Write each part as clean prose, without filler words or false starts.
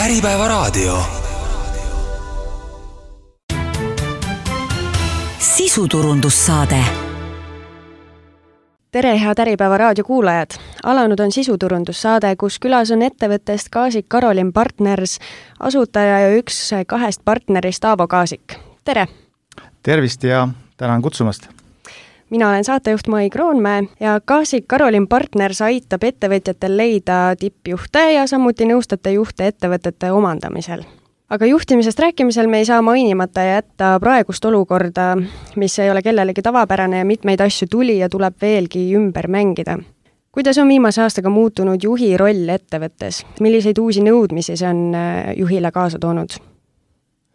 Äripäevaraadio. Sisuturundussaade. Tere, head Äripäevaraadio kuulajad! Alanud on sisuturundussaade, kus külas on ettevõttest Kaasik Karolin Partners, asutaja ja üks kahest partnerist Aavo Kaasik. Tere! Tervist ja tänan kutsumast! Mina olen saatejuht Mai Kroonmäe ja Kaasik Karolin Partners aitab ettevõtjatel leida tippjuhte ja samuti nõustate juhte ettevõtete omandamisel. Aga juhtimisest rääkimisel me ei saa mainimata jätta praegust olukorda, mis ei ole kellelegi tavapärane ja mitmeid asju tuli ja tuleb veelgi ümber mängida. Kuidas on viimase aastaga muutunud juhi roll ettevõttes? Milliseid uusi nõudmisi see on juhile kaasa toonud?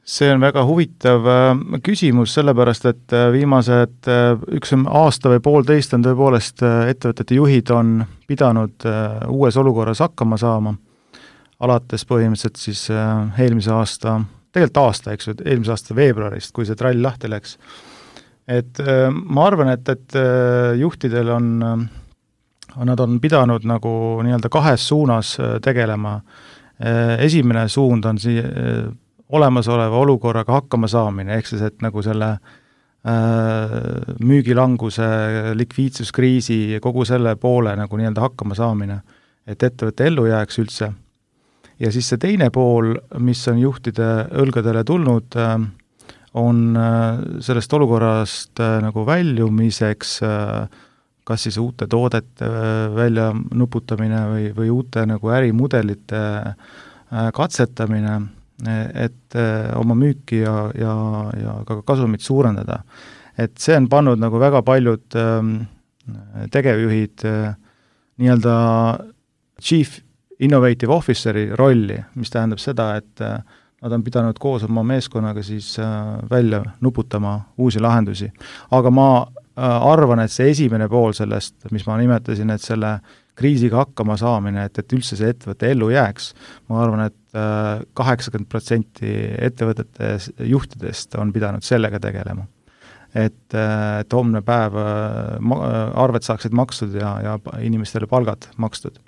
See on väga huvitav küsimus, sellepärast et viimased üks aasta või poolteist on tõepoolest ettevõtete juhid on pidanud uues olukorras hakkama saama, alates põhimõtteliselt siis eelmise aasta, eelmise aasta veebruarist, kui see trall lahti läks. Et ma arvan, et juhtidel nad on pidanud nagu nii-öelda kahes suunas tegelema. Esimene suund on olemasoleva olukorraga hakkama saamine, ehk siis, et nagu selle müügilanguse, likviidsuskriisi, kogu selle poole nagu nii-öelda hakkama saamine, et ettevõtte ellu jääks üldse. Ja siis see teine pool, mis on juhtide õlgadele tulnud, on sellest olukorrast nagu väljumiseks, kas siis uute toodete välja nuputamine või uute nagu ärimudelite katsetamine, et oma müüki ja ka kasumit suurendada. Et see on pannud nagu väga paljud tegevjuhid nii-öelda Chief Innovative Officeri rolli, mis tähendab seda, et nad on pidanud koos oma meeskonnaga siis välja nuputama uusi lahendusi. Aga ma arvan, et see esimene pool sellest, mis ma nimetasin, et selle kriisiga hakkama saamine, et üldse see ettevõtte ellu jääks. Ma arvan, et 80% ettevõtete juhtidest on pidanud sellega tegelema. Et homne päev arved saaksid makstud ja inimestele palgad makstud.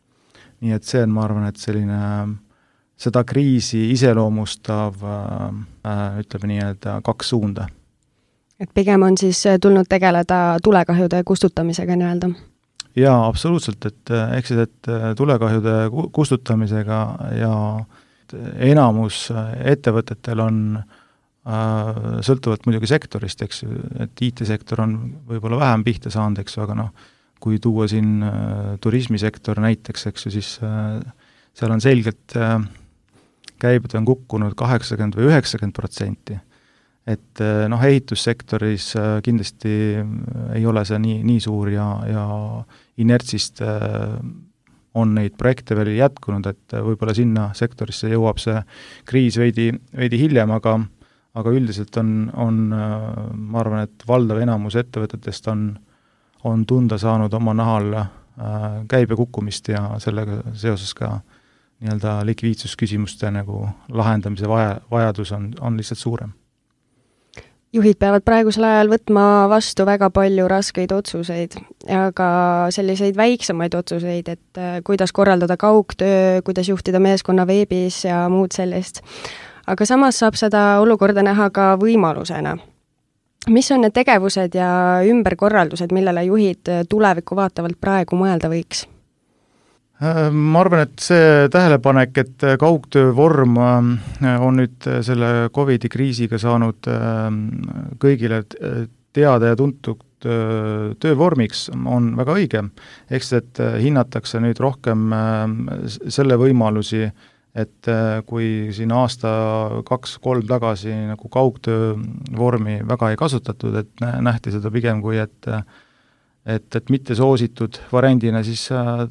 Nii et see on, ma arvan, et selline seda kriisi iseloomustav, ütleme nii, et kaks suunda. Et pigem on siis tulnud tegeleda tulekahjude kustutamisega nii-öelda? Jaa, absoluutselt, et tulekahjude kustutamisega ja enamus ettevõtetel on sõltuvalt muidugi sektorist, eks ju, et IT-sektor on võib-olla vähem pihta saanud, eks ju, aga kui tuua siin turismisektor näiteks, eks ju, siis seal on selgelt käibed on kukkunud 80 või 90%. Et ehitussektoris kindlasti ei ole see nii suur ja inertsist on neid projekte veel jätkunud, et võib-olla sinna sektorisse jõuab see kriis veidi hiljem, aga üldiselt on ma arvan, et valdav enamus ettevõtetest on tunda saanud oma nahal käibe kukkumist ja sellega seoses ka nii-öelda likviidsusküsimuste nagu lahendamise vajadus on lihtsalt suurem. Juhid peavad praegusel ajal võtma vastu väga palju raskeid otsuseid ja ka selliseid väiksemaid otsuseid, et kuidas korraldada kaugtöö, kuidas juhtida meeskonna veebis ja muud sellist. Aga samas saab seda olukorda näha ka võimalusena. Mis on need tegevused ja ümberkorraldused, millele juhid tulevikku vaatavalt praegu mõelda võiks? Ma arvan, et see tähelepanek, et kaugtöö vorm on nüüd selle COVID-i kriisiga saanud kõigile teada ja tuntud töövormiks, on väga õige. Eks, et hinnatakse nüüd rohkem selle võimalusi, et kui siin aasta 2-3 tagasi nagu kaugtöö vormi väga ei kasutatud, et nähti seda pigem kui, et mitte soositud variandina, siis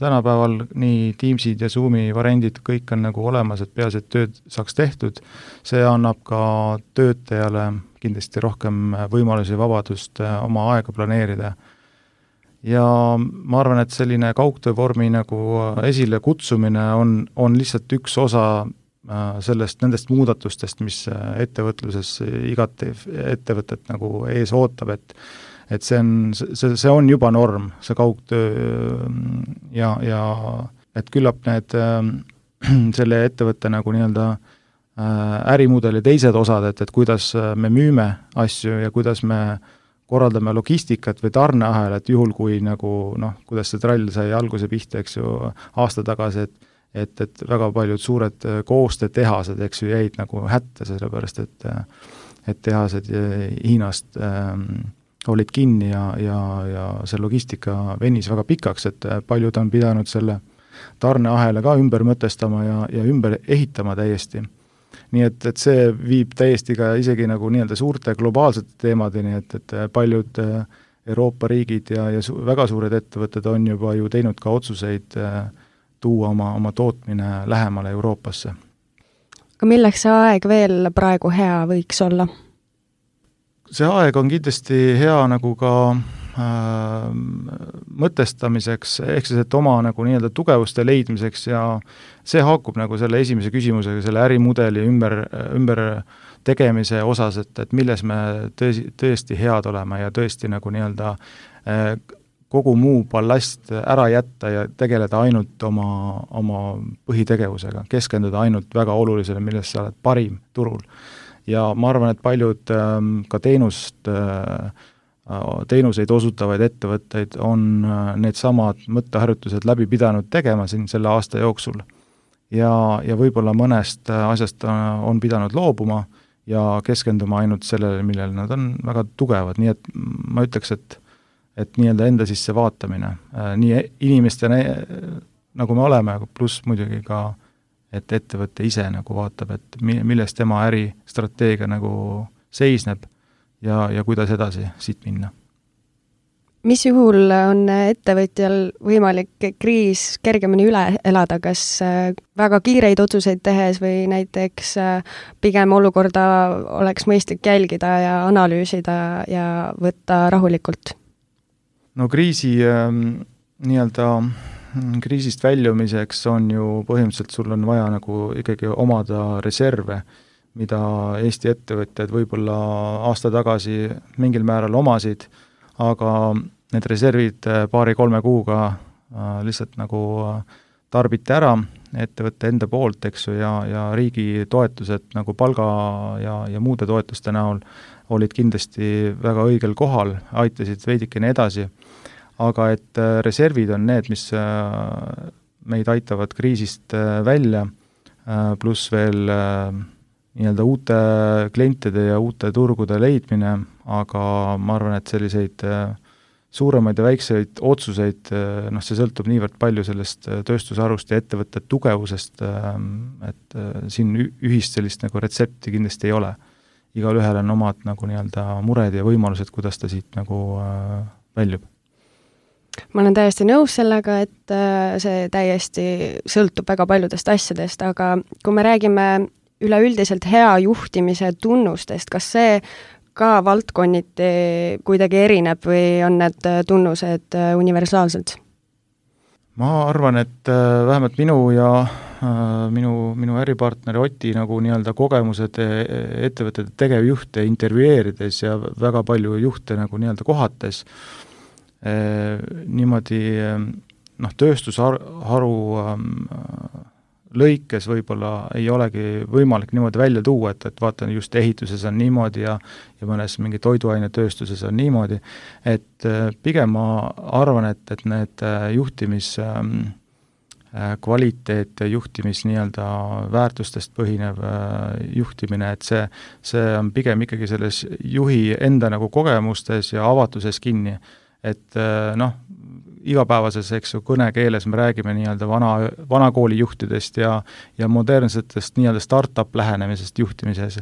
tänapäeval nii Teamsid ja Zoomi variandid kõik on nagu olemas, et peaasi, et tööd saaks tehtud. See annab ka töötajale kindlasti rohkem võimalusi ja vabadust oma aega planeerida. Ja ma arvan, et selline kaugtöövormi nagu esile kutsumine on lihtsalt üks osa nendest muudatustest, mis ettevõtluses igat ettevõtet nagu ees ootab, et see on juba norm, see kaugtöö ja et küllap need selle ettevõtte nagu nii-öelda ärimudeli teised osad, et kuidas me müüme asju ja kuidas me korraldame logistikat või tarneahelat juhul, kui nagu kuidas see trall sai alguse pihta, eks ju, aasta tagasi, et väga paljud suured koostetehased, eks ju, jäid nagu hätta, sellepärast et tehased Hiinast olid kinni ja see logistika venis väga pikaks, et paljud on pidanud selle tarneahela ka ümber mõtestama ja ümber ehitama täiesti. Nii et see viib täiesti ka isegi nagu nii-öelda suurte globaalsete teemadeni, et paljud Euroopa riigid ja väga suured ettevõtted on juba ju teinud ka otsuseid tuua oma tootmine lähemale Euroopasse. Aga milleks see aeg veel praegu hea võiks olla? See aeg on kindlasti hea nagu ka mõtestamiseks, ehk siis, et oma nagu nii-öelda tugevuste leidmiseks ja see haakub nagu selle esimese küsimusega, selle ärimudeli ümber tegemise osas, et milles me tõesti head oleme ja tõesti nagu nii-öelda kogu muu ballast ära jätta ja tegeleda ainult oma põhitegevusega, keskenduda ainult väga olulisele, milles sa oled parim turul. Ja ma arvan, et paljud ka teenuseid osutavaid ettevõtteid on need samad mõtteharjutused läbi pidanud tegema siin selle aasta jooksul. Ja võib-olla mõnest asjast on pidanud loobuma ja keskenduma ainult sellele, millele nad on väga tugevad, nii et ma ütleks, et nii-öelda enda sisse vaatamine, nii inimeste nagu me oleme, pluss muidugi ka, et ettevõtte ise nagu vaatab, et milles tema äristrateegia nagu seisneb ja kuidas edasi siit minna. Mis juhul on ettevõtjal võimalik kriis kergemini üle elada, kas väga kiireid otsuseid tehes või näiteks pigem olukorda oleks mõistlik jälgida ja analüüsida ja võtta rahulikult? No kriisist väljumiseks on ju põhimõtteliselt sul on vaja nagu ikkagi omada reserve, mida Eesti ettevõtjad võib-olla aasta tagasi mingil määral omasid, aga need reservid 2-3 kuuga lihtsalt nagu tarbiti ära ettevõtte enda poolt, eks ju, ja riigi toetused nagu palga ja muude toetuste näol olid kindlasti väga õigel kohal, aitasid veidikene edasi, aga et reservid on need, mis meid aitavad kriisist välja, pluss veel nii-öelda uute klientide ja uute turgude leidmine, aga ma arvan, et selliseid suuremaid ja väikseid otsuseid, see sõltub niivõrd palju sellest tööstusharust ja ettevõtte tugevusest, et siin ühist sellist nagu retsepti kindlasti ei ole. Igal ühel on omad nagu nii-öelda mured ja võimalused, kuidas ta siit nagu väljub. Ma olen täiesti nõus sellega, et see täiesti sõltub väga paljudest asjadest, aga kui me räägime üleüldiselt hea juhtimise tunnustest, kas see ka valdkonniti kuidagi erineb või on need tunnused universaalsed? Ma arvan, et vähemalt minu ja minu äripartneri Oti nagu nii-öelda kogemused ettevõtete tegevjuhte intervjueerides ja väga palju juhte nagu nii-öelda kohates, niimoodi tööstusharu lõikes võib-olla ei olegi võimalik niimoodi välja tuua, et vaatan just ehituses on niimoodi ja mõnes mingi toiduainetööstuses on niimoodi, et pigem ma arvan, et need juhtimis kvaliteet, juhtimis nii-öelda väärtustest põhinev juhtimine, et see on pigem ikkagi selles juhi enda nagu kogemustes ja avatuses kinni, et igapäevases, eks ju, kõnekeeles me räägime nii-öelda vana kooli juhtidest ja modernsetest nii-öelda startup lähenemisest juhtimises.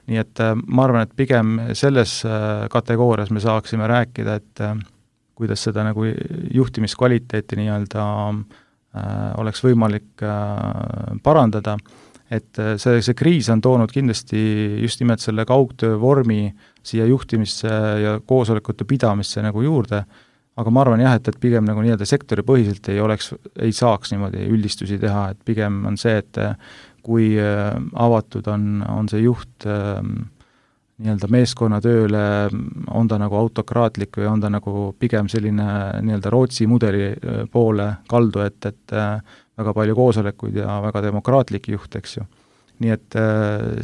Nii et ma arvan, et pigem selles kategoorias me saaksime rääkida, et kuidas seda nagu juhtimiskvaliteeti nii-öelda oleks võimalik parandada, et see kriis on toonud kindlasti just nimelt selle kaugtöö vormi siia juhtimisse ja koosolekute pidamisse nagu juurde, aga ma arvan jah, et pigem nagu nii-öelda sektori põhiselt ei saaks niimoodi üldistusi teha, et pigem on see, et kui avatud on see juht nii-öelda meeskonnatööle, on ta nagu autokraatlik või on ta nagu pigem selline nii-öelda Rootsi mudeli poole kaldu, et väga palju koosolekuid ja väga demokraatlik juht, eks ju. Nii et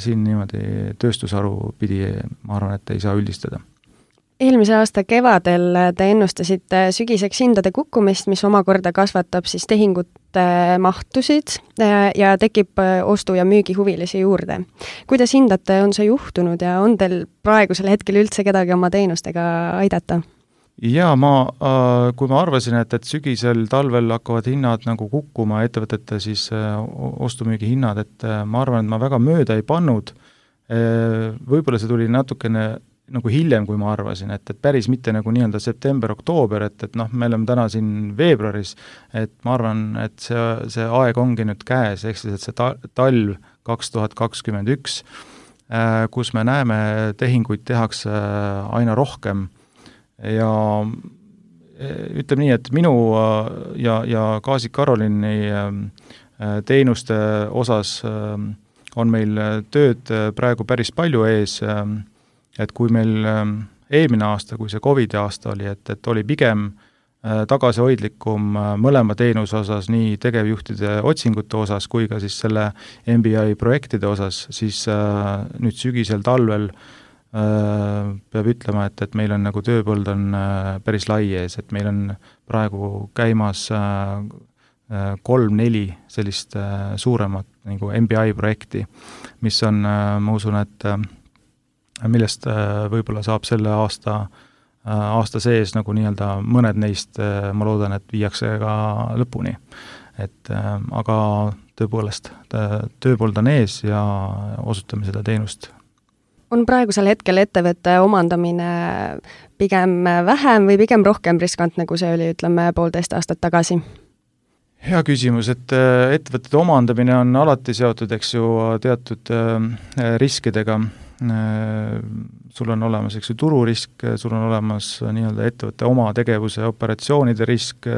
siin niimoodi tööstusharu pidi, ma arvan, et ei saa üldistada. Eelmise aasta kevadel te ennustasite sügiseks hindade kukkumist, mis omakorda kasvatab siis tehingute mahtusid ja tekib ostu- ja müügihuvilisi juurde. Kuidas hindate, on see juhtunud ja on teil praegusel hetkel üldse kedagi oma teenustega aidata? Jaa, kui ma arvasin, et sügisel, talvel hakkavad hinnad nagu kukkuma, ettevõtete siis ostumüügi hinnad, et ma arvan, et ma väga mööda ei pannud. Võib-olla see tuli natukene nagu hiljem, kui ma arvasin, et päris mitte nagu nii-öelda september-oktoober, et me oleme täna siin veebruaris, et ma arvan, et see aeg ongi nüüd käes, ehk siis, et see talv 2021, kus me näeme, tehinguid tehakse aina rohkem ja ütleme nii, et minu ja Kaasik Karolini teenuste osas on meil tööd praegu päris palju ees, et kui meil eelmine aasta, kui see COVID aasta oli, et oli pigem tagasihoidlikum mõlema teenuse osas, nii tegevjuhtide otsingute osas kui ka siis selle MBI projektide osas, siis nüüd sügisel, talvel peab ütlema, et meil on nagu tööpõld on päris lai ees, et meil on praegu käimas 3-4 sellist suuremat nagu MBI projekti, mis on, ma usun, et millest võib-olla saab selle aasta sees nagu nii-öelda mõned neist, ma loodan, et viiakse ka lõpuni. Aga tõepoolest, tööpold on ees ja osutame seda teenust. On praegusel hetkel ettevõtte omandamine pigem vähem või pigem rohkem riskantne, kui see oli, ütleme, 1,5 aastat tagasi? Hea küsimus, et ettevõtete omandamine on alati seotud, eks ju, teatud riskidega. Sul on olemas, eks ju, tururisk, sul on olemas nii-öelda ettevõtte oma tegevuse operatsioonide risk,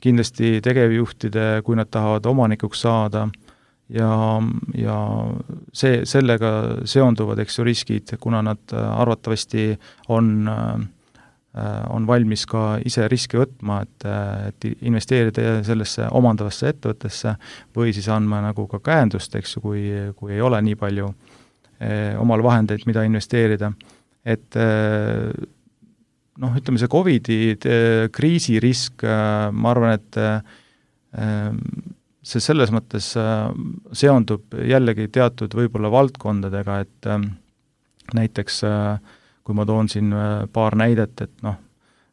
kindlasti tegevjuhtide, kui nad tahavad omanikuks saada ja sellega seonduvad, eks ju, riskid, kuna nad arvatavasti on valmis ka ise riski võtma, et investeerida sellesse omandavasse ettevõttesse või siis andma nagu ka käendust, eks ju, kui ei ole nii palju omal vahendeid, mida investeerida. Et ütleme, see COVID-i kriisirisk, ma arvan, et see selles mõttes seondub jällegi teatud võib-olla valdkondadega, et näiteks kui ma toon siin paar näidet,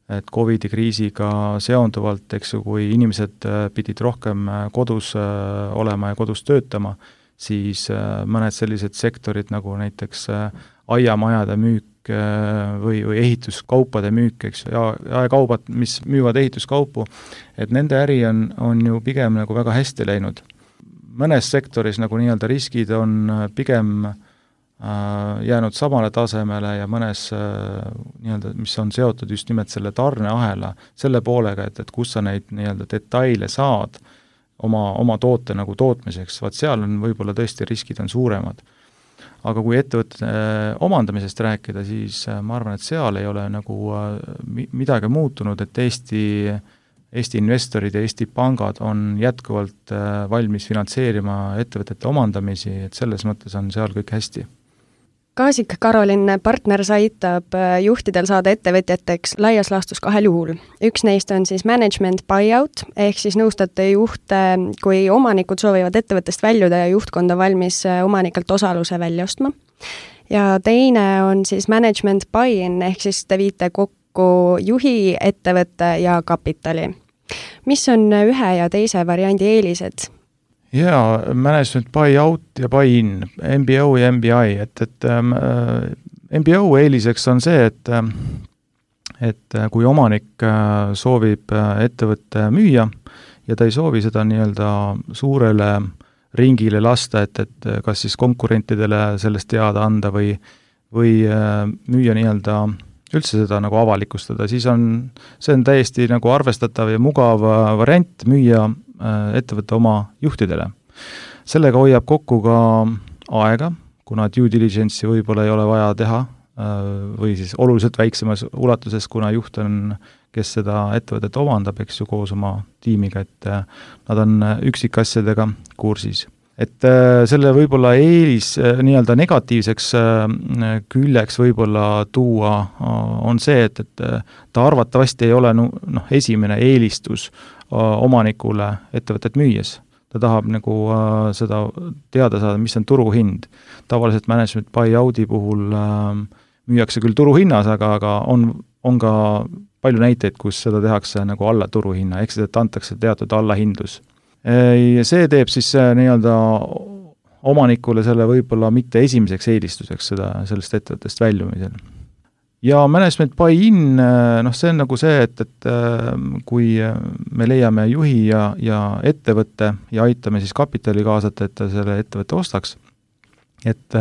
et COVID-i kriisiga seonduvalt, eks ju, kui inimesed pidid rohkem kodus olema ja kodus töötama, siis mõned sellised sektorid nagu näiteks aiamajade müük või ehituskaupade müük, eks ju, ja kaubad, mis müüvad ehituskaupu, et nende äri on ju pigem nagu väga hästi läinud. Mõnes sektoris nagu nii-öelda riskid on pigem jäänud samale tasemele ja mõnes nii-öelda, mis on seotud just nimelt selle tarneahela, selle poolega, et kus sa neid nii-öelda detaile saad oma toote nagu tootmiseks, vaat seal on võib-olla tõesti riskid on suuremad. Aga kui ettevõtte omandamisest rääkida, siis ma arvan, et seal ei ole nagu midagi muutunud, et Eesti investorid ja Eesti pangad on jätkuvalt valmis finantseerima ettevõtete omandamisi, et selles mõttes on seal kõik hästi. Kaasik Karolin Partners aitab juhtidel saada ettevõtjateks laias laastus 2 juhul. Üks neist on siis management buyout, ehk siis nõustate juhte, kui omanikud soovivad ettevõttest väljuda ja juhtkonda valmis omanikelt osaluse välja ostma. Ja teine on siis management buy-in, ehk siis te viite kokku juhi, ettevõtte ja kapitali. Mis on ühe ja teise variandi eelised? Jaa, management buy-out ja buy-in, MBO ja MBI, et MBO eeliseks on see, et kui omanik soovib ettevõtte müüa ja ta ei soovi seda nii-öelda suurele ringile lasta, et kas siis konkurentidele sellest teada anda või müüa nii-öelda üldse seda nagu avalikustada, siis see on täiesti nagu arvestatav ja mugav variant müüa ettevõtte oma juhtidele. Sellega hoiab kokku ka aega, kuna due diligence'i võib-olla ei ole vaja teha või siis oluliselt väiksemas ulatuses, kuna juht on, kes seda ettevõtet omandab, eks ju, koos oma tiimiga, et nad on üksikasjadega kursis. Et selle võib-olla eelis nii-öelda negatiivseks küljeks võib-olla tuua on see, et ta arvatavasti ei ole esimene eelistus omanikule ettevõtet müües. Ta tahab nagu seda teada saada, mis on turuhind. Tavaliselt management buyout'i puhul müüakse küll turuhinnas, aga on ka palju näiteid, kus seda tehakse nagu alla turuhinna, ehk seda antakse teatud allahindlus. Ja see teeb siis nii-öelda omanikule selle võib-olla mitte esimeseks eelistuseks sellest ettevõttest väljumisel. Ja management buy-in, see on nagu see, et kui me leiame juhi ja ettevõtte ja aitame siis kapitali kaasata, et ta selle ettevõtte ostaks, et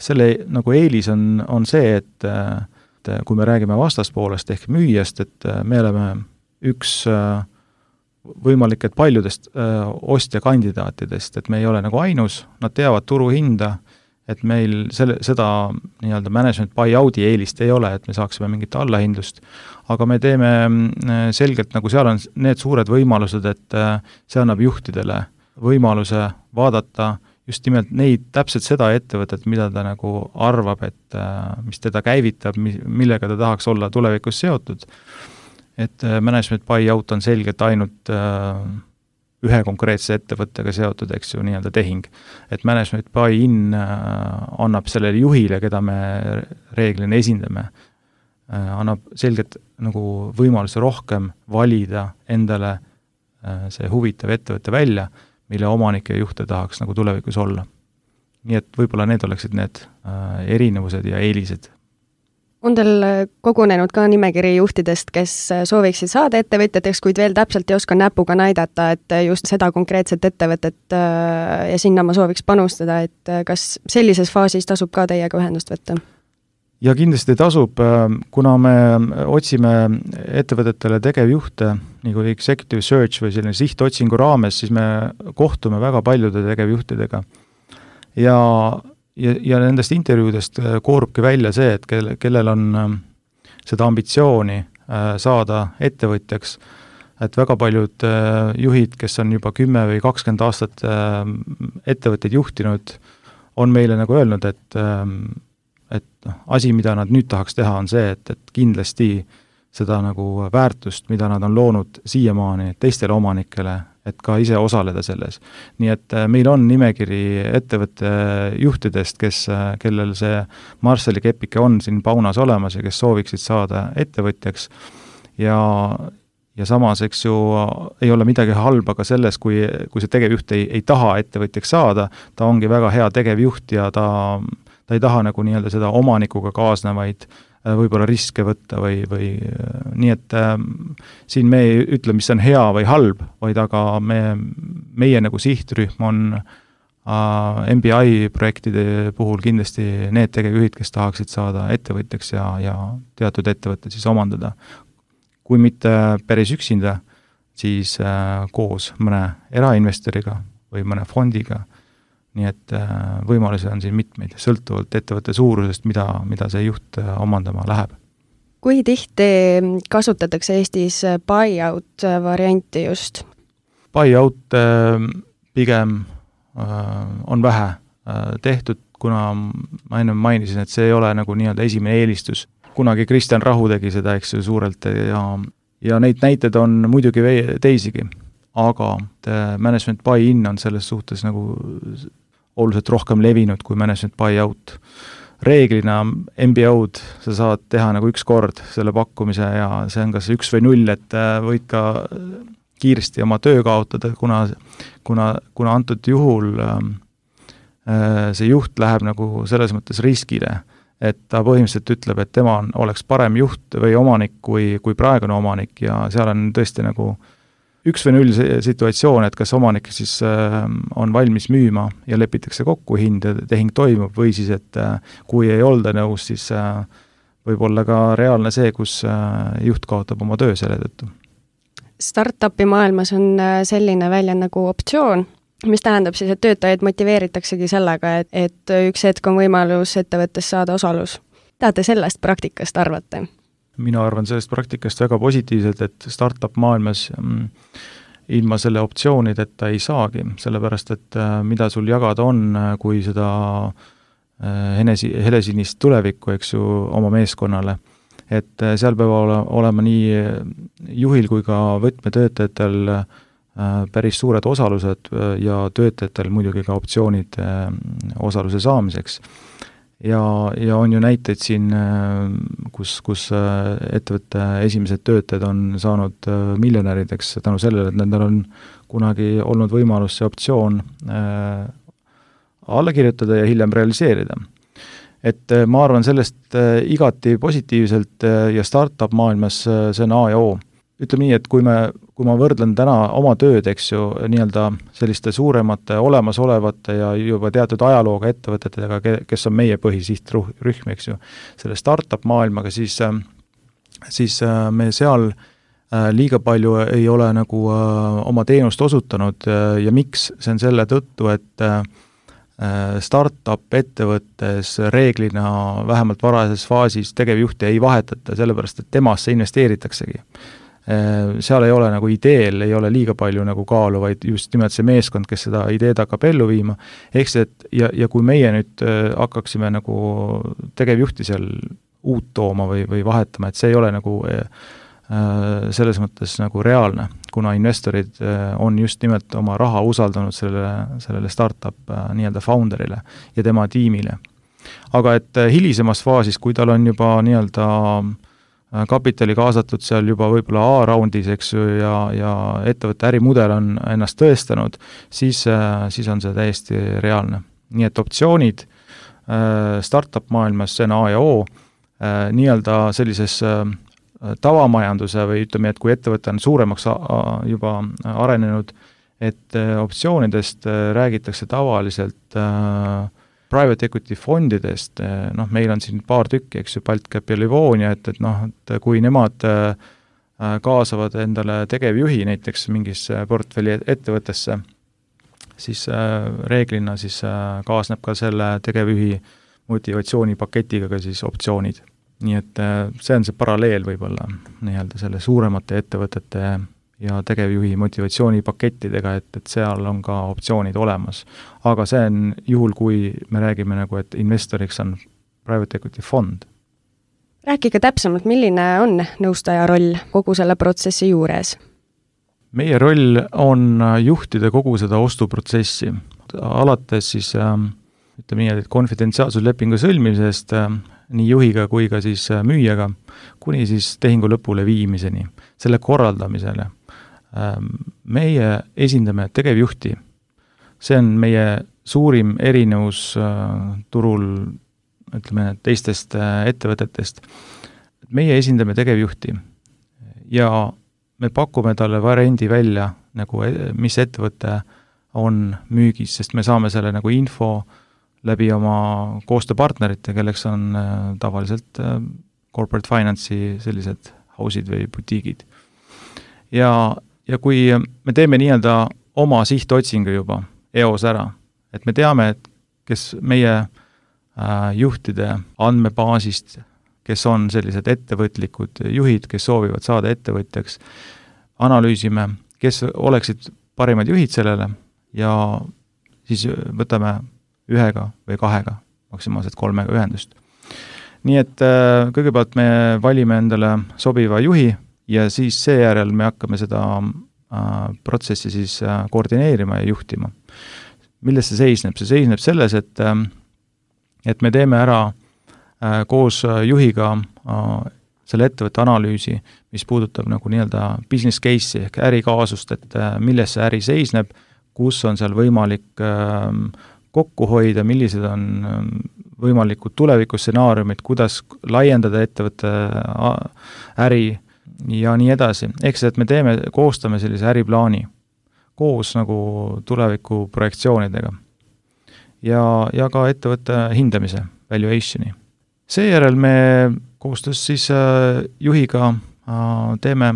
selle nagu eelis on see, et kui me räägime vastaspoolest ehk müüjast, et me oleme üks võimalik, et paljudest ostjakandidaatidest, et me ei ole nagu ainus, nad teavad turuhinda, et meil seda nii-öelda management buyout'i eelist ei ole, et me saaksime mingit allahindlust, aga me teeme selgelt, nagu seal on need suured võimalused, et see annab juhtidele võimaluse vaadata just nimelt neid, täpselt seda ettevõtet, mida ta nagu arvab, et mis teda käivitab, millega ta tahaks olla tulevikus seotud. Et management buyout on selgelt ainult ühe konkreetse ettevõttega seotud, eks ju, nii-öelda tehing. Et management buy-in annab sellele juhile, keda me reeglina esindame, annab selgelt nagu võimaluse rohkem valida endale see huvitav ettevõtte välja, mille omanik ja juhte tahaks nagu tulevikus olla. Nii et võib-olla need oleksid need erinevused ja eelised. On teil kogunenud ka nimekiri juhtidest, kes sooviksid saada ettevõtjateks, kuid veel täpselt ei oska näpuga näidata, et just seda konkreetset ettevõtet ja sinna ma sooviks panustada, et kas sellises faasis tasub ka teiega ühendust võtta? Ja kindlasti tasub, kuna me otsime ettevõtetele tegevjuhte, nagu executive search või selline sihtotsingu raames, siis me kohtume väga paljude tegevjuhtidega. Ja nendest intervjuudest koorubki välja see, et kellel on seda ambitsiooni saada ettevõtjaks, et väga paljud juhid, kes on juba 10 või 20 aastat ettevõtteid juhtinud, on meile nagu öelnud, et asi, mida nad nüüd tahaks teha, on see, et kindlasti seda nagu väärtust, mida nad on loonud siiamaani teistele omanikele, et ka ise osaleda selles. Nii et meil on nimekiri ettevõtte juhtidest, kellel see Marshalli kepike on siin paunas olemas ja kes sooviksid saada ettevõtjaks ja samas, eks ju, ei ole midagi halba ka selles, kui see tegevjuht ei taha ettevõtjaks saada, ta ongi väga hea tegevjuht ja ta ei taha nagu nii-öelda seda omanikuga kaasnevaid võib-olla riske võtta või nii, et siin me ei ütle, mis on hea või halb, vaid aga meie nagu sihtrühm on MBI projektide puhul kindlasti need tegevjuhid, kes tahaksid saada ettevõtjaks ja teatud ettevõtted siis omandada. Kui mitte päris üksinda, siis koos mõne erainvestoriga või mõne fondiga. Nii et võimalusi on siin mitmeid, sõltuvalt ettevõtte suurusest, mida see juht omandama läheb. Kui tihti kasutatakse Eestis buyout varianti just? Buyout pigem on vähe tehtud, kuna ma enne mainisin, et see ei ole nagu nii-öelda esimene eelistus. Kunagi Kristjan Rahu tegi seda, eks ju, suurelt ja neid näited on muidugi teisigi, aga management buy-in on selles suhtes nagu oluliselt rohkem levinud kui management buyout. Reeglina MBO-d sa saad teha nagu üks kord selle pakkumise ja see on kas 1 või 0, et võid ka kiiresti oma töö kaotada, kuna antud juhul see juht läheb nagu selles mõttes riskile, et ta põhimõtteliselt ütleb, et tema oleks parem juht või omanik kui praegune omanik ja seal on tõesti nagu 1 või 0 situatsioon, et kas omanik siis on valmis müüma ja lepitakse kokku hind ja tehing toimub või siis, et kui ei olda nõus, siis võib olla ka reaalne see, kus juht kaotab oma töö selle tõttu. Startupi maailmas on selline välja nagu optsioon, mis tähendab siis, et töötajaid motiveeritaksegi sellega, et üks hetk on võimalus ettevõttes saada osalus. Mida te sellest praktikast arvate? Mina arvan sellest praktikast väga positiivselt, et startup maailmas ilma selle optsioonideta ei saagi, sellepärast et mida sul jagada on, kui seda helesinist tulevikku, eks ju, oma meeskonnale. Et seal peab olema nii juhil kui ka võtmetöötajatel päris suured osalused ja töötajatel muidugi ka optsioonid osaluse saamiseks. Ja on ju näiteid siin, kus ettevõtte esimesed töötajad on saanud miljonärideks tänu sellele, et nendel on kunagi olnud võimalus see optsioon alla kirjutada ja hiljem realiseerida. Et ma arvan sellest igati positiivselt ja startup maailmas see on A ja O. Ütleme nii, et kui ma võrdlen täna oma tööd, eks ju, nii-öelda selliste suuremate olemasolevate ja juba teatud ajalooga ettevõtetega, kes on meie põhisihtrühm, eks ju, selle startup maailmaga, siis me seal liiga palju ei ole nagu oma teenust osutanud ja miks? See on selle tõttu, et startup ettevõttes reeglina vähemalt varases faasis tegevjuhti ei vahetata, sellepärast et temasse investeeritaksegi. Seal ei ole nagu ideel, ei ole liiga palju nagu kaalu, vaid just nimelt see meeskond, kes seda ideed hakkab ellu viima. Ehk see, et ja kui meie nüüd hakkaksime nagu tegevjuhti seal uut tooma või vahetama, et see ei ole nagu selles mõttes nagu reaalne, kuna investorid on just nimelt oma raha usaldanud sellele startup nii-öelda founderile ja tema tiimile. Aga et hilisemas faasis, kui tal on juba nii-öelda kapitali kaasatud seal juba võib-olla A-raundis, eks ju, ja ettevõtte ärimudel on ennast tõestanud, siis on see täiesti reaalne. Nii et optsioonid startup maailmas, see on A ja O, nii-öelda sellises tavamajanduse või ütleme, et kui ettevõte on suuremaks juba arenenud, et optsioonidest räägitakse tavaliselt private equity fondidest, meil on siin paar tükki, eks ju, BaltCap ja Livonia, et kui nemad kaasavad endale tegevjuhi näiteks mingisse portfelli ettevõttesse, siis reeglina siis kaasneb ka selle tegevjuhi motivatsioonipaketiga ka siis optsioonid. Nii et see on see paralleel võib-olla nii-öelda selle suuremate ettevõtete ja tegevjuhi motivatsioonipakettidega, et seal on ka optsioonid olemas. Aga see on juhul, kui me räägime nagu, et investoriks on private equity fond. Rääkige täpsemalt, milline on nõustaja roll kogu selle protsessi juures? Meie roll on juhtida kogu seda ostuprotsessi. Alates siis, ütleme nii, et konfidentsiaalsuslepingu sõlmimisest nii juhiga kui ka siis müüjaga, kuni siis tehingu lõpule viimiseni, selle korraldamisele. Meie esindame tegevjuhti. See on meie suurim erinevus turul, ütleme, teistest ettevõtetest. Meie esindame tegevjuhti ja me pakume talle variandi välja, nagu mis ettevõte on müügis, sest me saame selle nagu info läbi oma koostööpartnerite, kelleks on tavaliselt corporate finance'i sellised house'id või butiigid. Ja kui me teeme nii-öelda oma sihtotsingu juba EOS ära, et me teame, et kes meie juhtide andmebaasist, kes on sellised ettevõtlikud juhid, kes soovivad saada ettevõtjaks, analüüsime, kes oleksid parimad juhid sellele ja siis võtame 1 või 2, maksimaalselt 3 ühendust. Nii et kõigepealt me valime endale sobiva juhi ja siis seejärel me hakkame seda protsessi siis koordineerima ja juhtima. Milles see seisneb? See seisneb selles, et me teeme ära koos juhiga selle ettevõtte analüüsi, mis puudutab nagu nii-öelda business case'i ehk ärikaasust, et milles see äri seisneb, kus on seal võimalik kokku hoida, millised on võimalikud tulevikustsenaariumid, kuidas laiendada ettevõtte äri ja nii edasi. Ehk see, et me koostame sellise äriplaani koos nagu tuleviku projektsioonidega ja ka ettevõtte hindamise, valuationi. Seejärel me koostöös siis juhiga teeme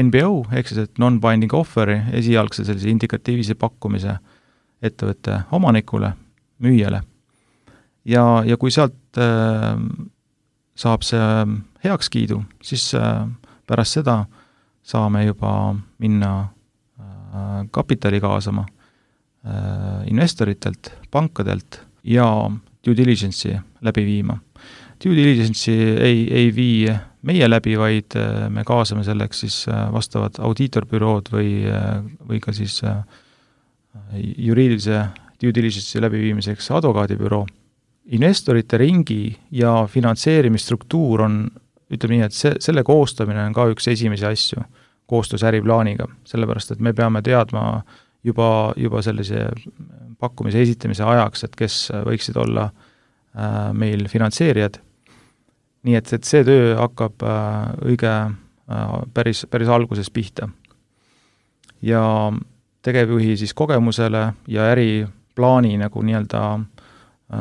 NBO, ehk siis et non-binding offeri, esialgse sellise indikatiivise pakkumise ettevõtte omanikule, müüjale. ja kui sealt saab see heakskiidu, siis pärast seda saame juba minna kapitali kaasama investoritelt, pankadelt ja due diligence'i läbi viima. Due diligence'i ei vii meie läbi, vaid me kaasame selleks siis vastavad audiitorbürood või ka siis juriidilise due diligence'i läbiviimiseks advokaadibüroo. Investorite ringi ja finantseerimisstruktuur on, ütleme nii, et selle koostamine on ka üks esimesi asju koostöös äriplaaniga, sellepärast et me peame teadma juba sellise pakkumise esitamise ajaks, et kes võiksid olla meil finantseerijad. Nii et see töö hakkab päris alguses pihta. Ja tegevjuhi siis kogemusele ja äriplaani nagu nii-öelda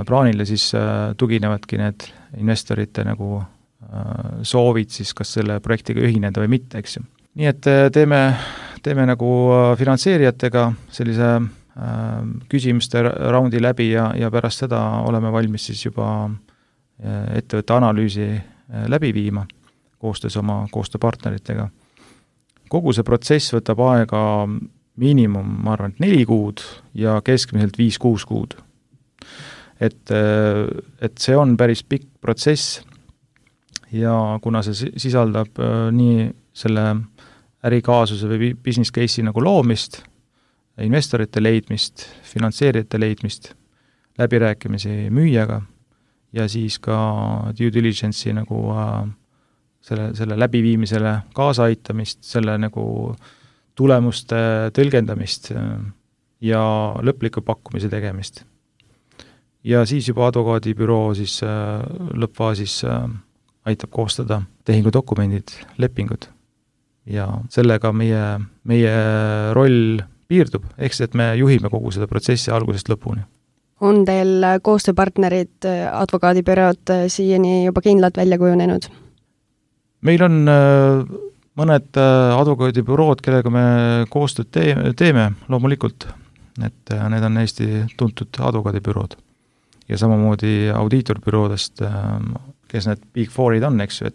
plaanile siis tuginevadki need investorite nagu soovid siis kas selle projektiga ühineda või mitte, eks ju. Nii et teeme nagu finantseerijatega sellise küsimuste raundi läbi ja pärast seda oleme valmis siis juba ettevõtte analüüsi läbi viima koostöös oma koostööpartneritega. Kogu see protsess võtab aega miinimum, ma arvan, 4 kuud ja keskmiselt 5-6 kuud. Et see on päris pikk protsess ja kuna see sisaldab nii selle ärikaasuse või business case'i nagu loomist, investorite leidmist, finantseerijate leidmist, läbirääkimisi müüjaga ja siis ka due diligence'i nagu selle läbiviimisele kaasaaitamist, selle nagu tulemuste tõlgendamist ja lõpliku pakkumise tegemist. Ja siis juba advokaadibüroo siis lõppfaasis aitab koostada tehingudokumendid, lepingud. Ja sellega meie roll piirdub, ehk see, et me juhime kogu seda protsessi algusest lõpuni. On teil koostööpartnerid, advokaadibürood siiani juba kindlalt välja kujunenud? Meil on mõned advokaadibürood, kellega me koostööd teeme, loomulikult, et need on Eesti tuntud advokaadibürood. Ja samamoodi audiitorbüroodest, kes need Big Fourid on, eks ju,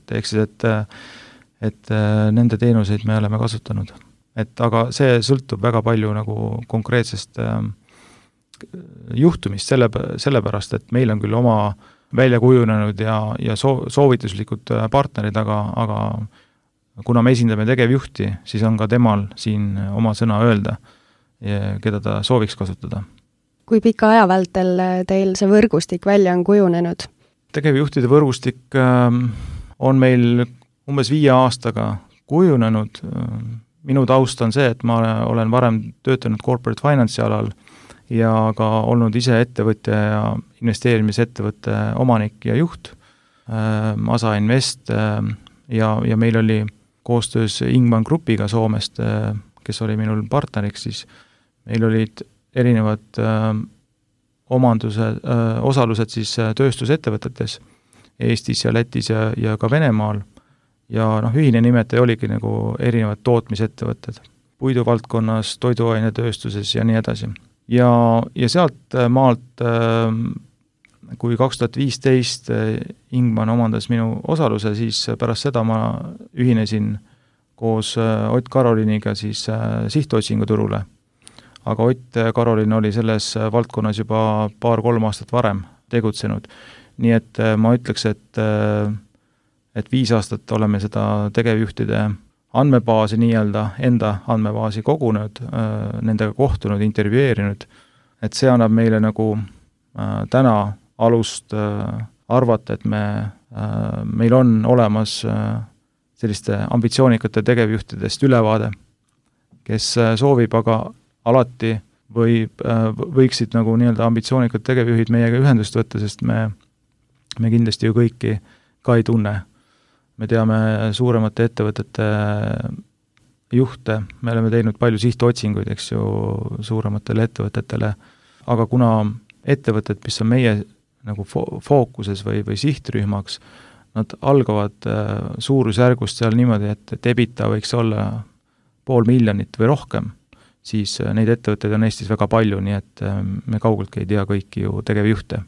et nende teenuseid me oleme kasutanud. Aga see sõltub väga palju nagu konkreetsest juhtumist, sellepärast, et meil on küll oma välja kujunenud ja soovituslikud partnerid, aga kuna me esindame tegevjuhti, siis on ka temal siin oma sõna öelda, keda ta sooviks kasutada. Kui pika aja vältel teil see võrgustik välja on kujunenud? Tegevjuhtide võrgustik on meil umbes 5 aastaga kujunenud. Minu taust on see, et ma olen varem töötanud corporate finance'i alal ja ka olnud ise ettevõtja ja investeerimisettevõtte omanik ja juht, Masa Invest ja meil oli koostöös Ingman Grupiga Soomest, kes oli minul partneriks, siis meil olid erinevad osalused siis tööstusettevõtetes Eestis ja Lätis ja ka Venemaal. Ja ühine nimetaja oligi nagu erinevad tootmisettevõtted, puiduvaldkonnas, toiduainetööstuses ja nii edasi. Ja sealt maalt, kui 2015 Ingman omandas minu osaluse, siis pärast seda ma ühinesin koos Ott Karoliniga siis sihtotsinguturule. Aga Ott Karolin oli selles valdkonnas juba 2-3 aastat varem tegutsenud. Nii et ma ütleks, et 5 aastat oleme seda tegevjuhtide andmebaasi enda andmebaasi kogunud, nendega kohtunud, intervjueerinud, et see annab meile nagu täna alust arvata, et meil on olemas selliste ambitsioonikate tegevjuhtidest ülevaade, kes soovib aga alati võiksid nagu nii-öelda ambitsioonikad tegevjuhid meiega ühendust võtta, sest me kindlasti ju kõiki ka ei tunne. Me teame suuremate ettevõtete juhte, me oleme teinud palju sihtotsinguid, eks ju, suurematele ettevõtetele, aga kuna ettevõtted, mis on meie nagu fookuses või sihtrühmaks, nad algavad suurusjärgust seal niimoodi, et EBITDA võiks olla 500 000 või rohkem, siis neid ettevõtteid on Eestis väga palju, nii et me kaugelt ei tea kõiki ju tegevjuhte.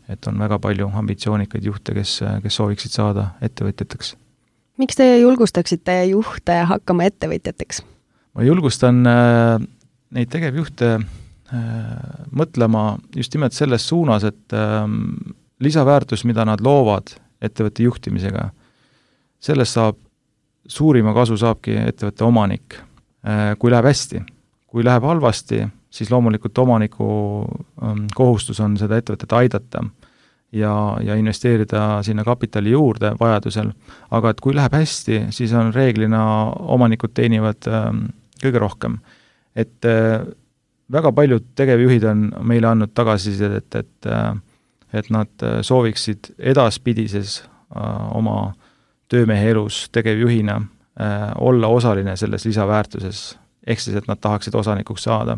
Et on väga palju ambitsioonikaid juhte, kes sooviksid saada ettevõtjateks. Miks te julgustaksite juhte hakkama ettevõtjateks? Ma julgustan neid tegevjuhte mõtlema just nimelt selles suunas, et lisaväärtus, mida nad loovad ettevõtte juhtimisega, sellest suurima kasu saabki ettevõtte omanik, kui läheb hästi. Kui läheb halvasti, siis loomulikult omaniku kohustus on seda ettevõtet aidata ja investeerida sinna kapitali juurde vajadusel, aga et kui läheb hästi, siis on reeglina omanikud teenivad kõige rohkem. Et väga paljud tegevjuhid on meile andnud tagasisidet, et nad sooviksid edaspidises oma töömehe elus tegevjuhina olla osaline selles lisaväärtuses, ehk siis, et nad tahaksid osanikuks saada.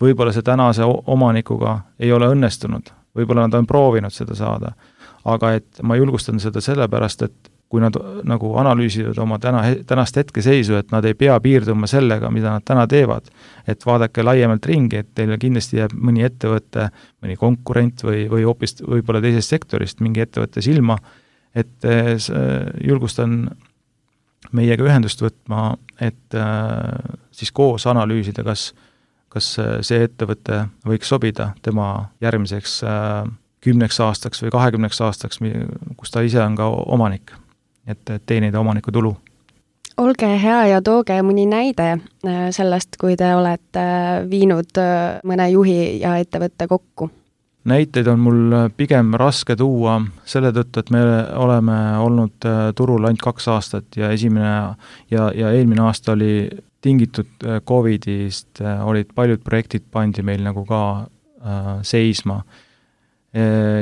Võib-olla see tänase omanikuga ei ole õnnestunud, võib-olla nad on proovinud seda saada, aga et ma julgustan seda sellepärast, et kui nad nagu analüüsivad oma tänast hetkeseisu, et nad ei pea piirduma sellega, mida nad täna teevad, et vaadake laiemalt ringi, et teile kindlasti jääb mõni ettevõte, mõni konkurent või hoopis võib-olla teisest sektorist mingi ettevõtte silma, et julgustan meiega ühendust võtma, et siis koos analüüsida, kas see ettevõte võiks sobida tema järgmiseks 10 aastaks või 20 aastaks, kus ta ise on ka omanik, et teenida omaniku tulu. Olge hea ja tooge mõni näide sellest, kui te olete viinud mõne juhi ja ettevõtte kokku. Näiteid on mul pigem raske tuua selle tõttu, et me oleme olnud turul ainult 2 aastat ja eelmine aasta oli tingitud Covidist, olid paljud projektid pandi meil nagu ka seisma.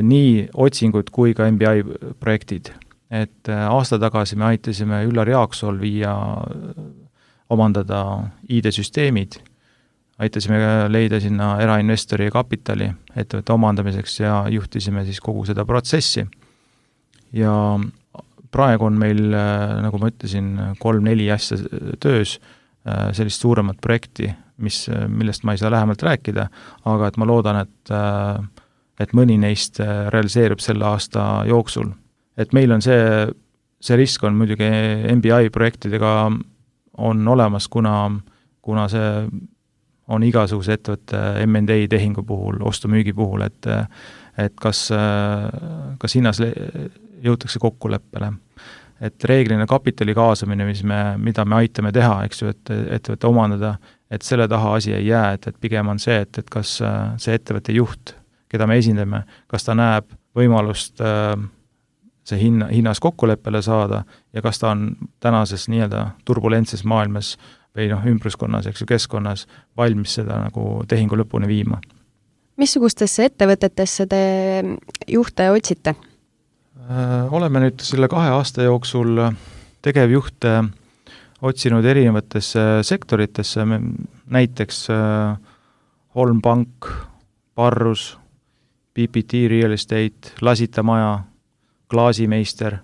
Nii otsingud kui ka MBI projektid. Et aasta tagasi me aitasime Üllar Jaaksool omandada ID-süsteemid, aitasime leida sinna erainvestori kapitali ettevõtte omandamiseks ja juhtisime siis kogu seda protsessi. Ja praegu on meil, nagu ma ütlesin, 3-4 asja töös, sellist suuremat projekti, millest ma ei saa lähemalt rääkida, aga et ma loodan, et mõni neist realiseerub selle aasta jooksul. Et meil on see risk on muidugi MBI projektidega on olemas, kuna see on igasuguse ettevõtte M&A tehingu puhul, ostu-müügi puhul, et kas hinnas jõutakse kokkuleppele. Et reeglina kapitali kaasamine, mida me aitame teha, eks ju, et ettevõtte omandada, et selle taha asi ei jää, et pigem on see, et kas see ettevõtte juht, keda me esindame, kas ta näeb võimalust see hinnas kokkuleppele saada ja kas ta on tänases nii-öelda turbulentses maailmas või ümbruskonnas, eks ju, keskkonnas valmis seda nagu tehingu lõpuni viima. Missugustesse ettevõtetesse te juhte otsite? Oleme nüüd selle 2 aasta jooksul tegevjuhte otsinud erinevatesse sektoritesse, näiteks Holm Pank, Parrus, PPT Real Estate, Lasita Maja, Klaasimeister,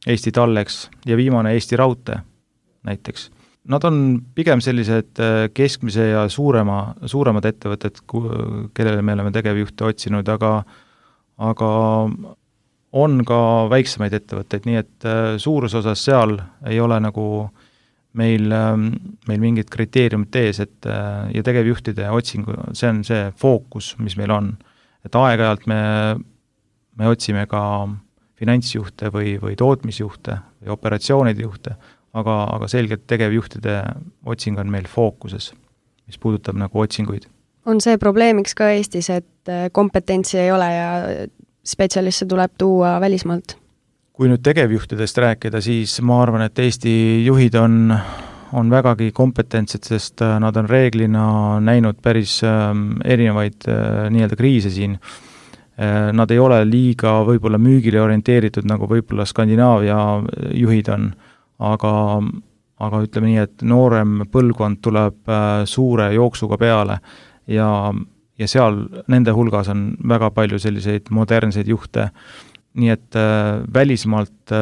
Eesti Tallex ja viimane Eesti Raudtee näiteks. Nad on pigem sellised keskmise ja suuremad ettevõtted, kellele me oleme tegevjuhte otsinud, aga on ka väiksemaid ettevõtteid, nii et suures osas seal ei ole nagu meil mingid kriteeriumid ees, ja tegevjuhtide otsingu, see on see fookus, mis meil on. Et aeg-ajalt me otsime ka finantsjuhte või tootmisjuhte või operatsioonide juhte, aga selgelt tegevjuhtide otsing on meil fookuses, mis puudutab nagu otsinguid. On see probleemiks ka Eestis, et kompetentsi ei ole ja spetsialiste tuleb tuua välismaalt? Kui nüüd tegevjuhtidest rääkida, siis ma arvan, et Eesti juhid on vägagi kompetentsed, sest nad on reeglina näinud päris erinevaid nii-öelda kriise siin. Nad ei ole liiga võib-olla müügile orienteeritud, nagu võib-olla Skandinaavia juhid on, aga ütleme nii, et noorem põlvkond tuleb suure jooksuga peale ja seal nende hulgas on väga palju selliseid modernseid juhte, nii et välismaalt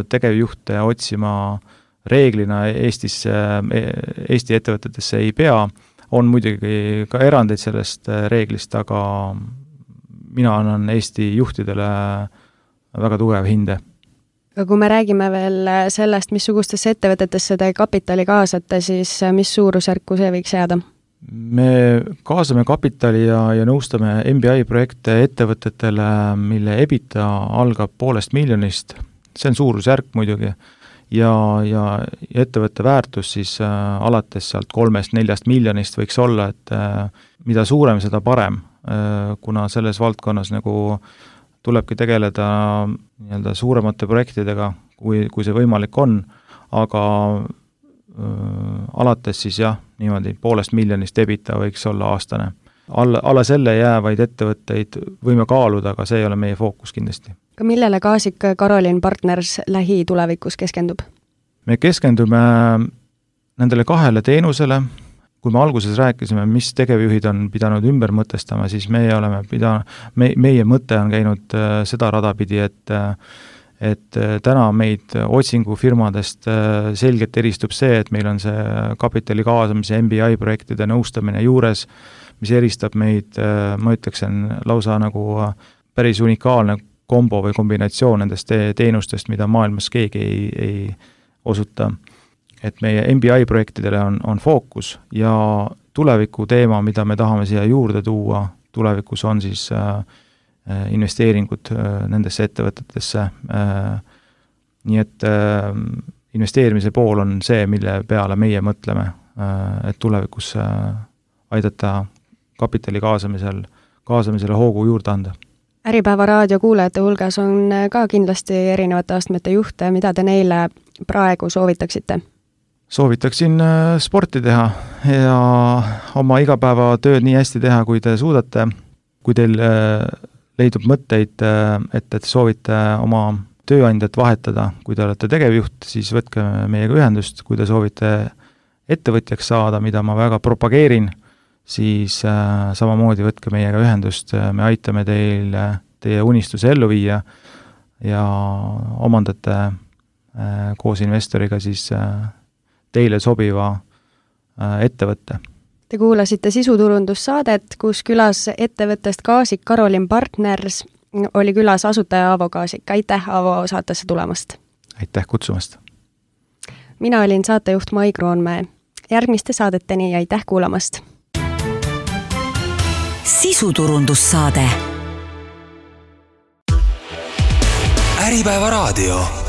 tegevjuhte otsima reeglina Eesti ettevõtetesse ei pea, on muidugi ka erandeid sellest reeglist, aga mina annan Eesti juhtidele väga tugev hinde. Aga kui me räägime veel sellest, missugustesse ettevõtetesse te kapitali kaasate, siis mis suurusjärku see võiks jääda? Me kaasame kapitali ja nõustame MBI projekte ettevõtetele, mille EBITDA algab 500 miljonist, see on suurusjärk muidugi, ja ettevõtte väärtus siis alates sealt 3-4 miljonist võiks olla, et mida suurem, seda parem, kuna selles valdkonnas nagu tulebki tegeleda nii-öelda suuremate projektidega, kui see võimalik on, aga alates siis jah, niimoodi 500 miljonist EBITDA võiks olla aastane. Alla selle jäävaid ettevõtteid võime kaaluda, aga see ei ole meie fookus kindlasti. Aga millele Kaasik Karolin Partners lähitulevikus keskendub? Me keskendume nendele 2 teenusele. Kui me alguses rääkisime, mis tegevjuhid on pidanud ümber mõtestama, siis meie mõte on käinud seda radapidi, et täna meid otsingufirmadest selgelt eristub see, et meil on see kapitali kaasamise MBI projektide nõustamine juures, mis eristab meid, ma ütleksin, lausa nagu päris unikaalne kombo või kombinatsioon nendest teenustest, mida maailmas keegi ei osuta. Et meie MBI projektidele on fookus ja tuleviku teema, mida me tahame siia juurde tuua, tulevikus on siis investeeringud nendesse ettevõtetesse. Nii et investeerimise pool on see, mille peale meie mõtleme, et tulevikus aidata kapitali kaasamisele hoogu juurde anda. Äripäeva raadio kuulajate hulgas on ka kindlasti erinevate astmete juhte, mida te neile praegu soovitaksite? Soovitaksin sporti teha ja oma igapäevatööd nii hästi teha, kui te suudate. Kui teil leidub mõtteid, et soovite oma tööandjat vahetada, kui te olete tegevjuht, siis võtke meiega ühendust. Kui te soovite ettevõtjaks saada, mida ma väga propageerin, siis samamoodi võtke meiega ühendust. Me aitame teie unistuse ellu viia ja omandate koos investoriga siis teile sobiva ettevõtte. Te kuulasite sisuturundussaadet, kus külas ettevõttest Kaasik Karolin Partners oli külas asutaja Aavo Kaasik. Aitäh, Aavo, saatesse tulemast! Aitäh kutsumast! Mina olin saatejuht Mai Kroonmäe. Järgmiste saadeteni ja aitäh kuulamast! Sisuturundussaade. Äripäeva raadio.